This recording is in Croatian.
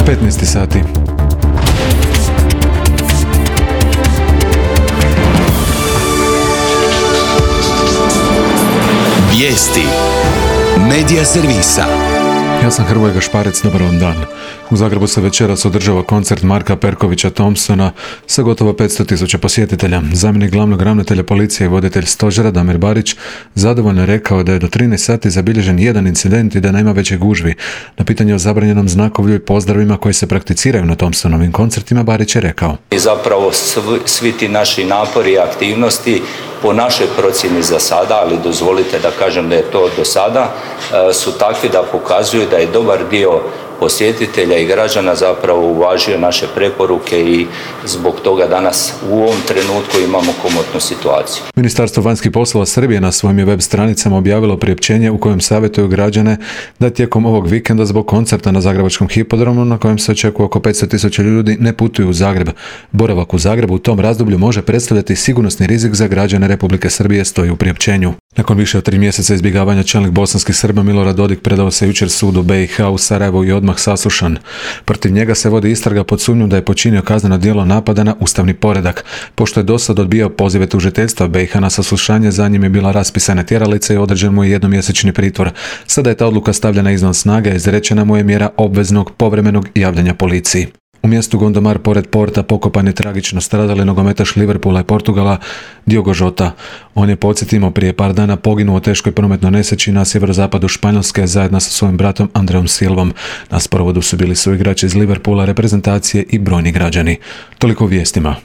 15 sati. Vijesti Medija servisa. Ja sam Hrvoje Gašparec, dobar vam dan. U Zagrebu se večeras održava koncert Marka Perkovića Thompsona sa gotovo 500.000 posjetitelja. Zamjenik glavnog ravnatelja policije i voditelj stožera Damir Barić zadovoljno je rekao da je do 13 sati zabilježen jedan incident i da nema veće gužvi. Na pitanje o zabranjenom znakovlju i pozdravima koji se prakticiraju na Thompsonovim koncertima Barić je rekao: I zapravo svi ti naši napori i aktivnosti po našoj procjeni za sada, ali dozvolite da kažem da je to do sada, su takvi da pokazuju da je dobar dio posjetitelja i građana zapravo uvažio naše preporuke i zbog toga danas u ovom trenutku imamo komotnu situaciju. Ministarstvo vanjskih poslova Srbije na svojim je web stranicama objavilo priopćenje u kojem savjetuju građane da tijekom ovog vikenda zbog koncerta na Zagrebačkom hipodromu, na kojem se očekuje oko 500.000 ljudi, ne putuju u Zagreb. Boravak u Zagrebu u tom razdoblju može predstavljati sigurnosni rizik za građane Republike Srbije, stoji u priopćenju. Nakon više od 3 mjeseca izbjegavanja čelnik bosanskih Srba Milorad Dodik predao se jučer sudu BiH u Sarajevu i odmah saslušan. Protiv njega se vodi istraga pod sumnjom da je počinio kazneno djelo napada na ustavni poredak. Pošto je dosad odbijao pozive tužiteljstva BiH na saslušanje, za njim je bila raspisana tjeralica i određen mu je jednomjesečni pritvor. Sada je ta odluka stavljena izvan snage, izrečena mu je mjera obveznog povremenog javljanja policiji. U mjestu Gondomar pored porta pokopan je tragično stradali nogometaš Liverpoola i Portugala Diogo Jota. On je, podsjetimo, prije par dana poginuo u teškoj prometnoj nesreći na sjeverozapadu Španjolske zajedno sa svojim bratom Andreom Silvom. Na sprovodu su bili suigrači iz Liverpoola, reprezentacije i brojni građani. Toliko o vijestima.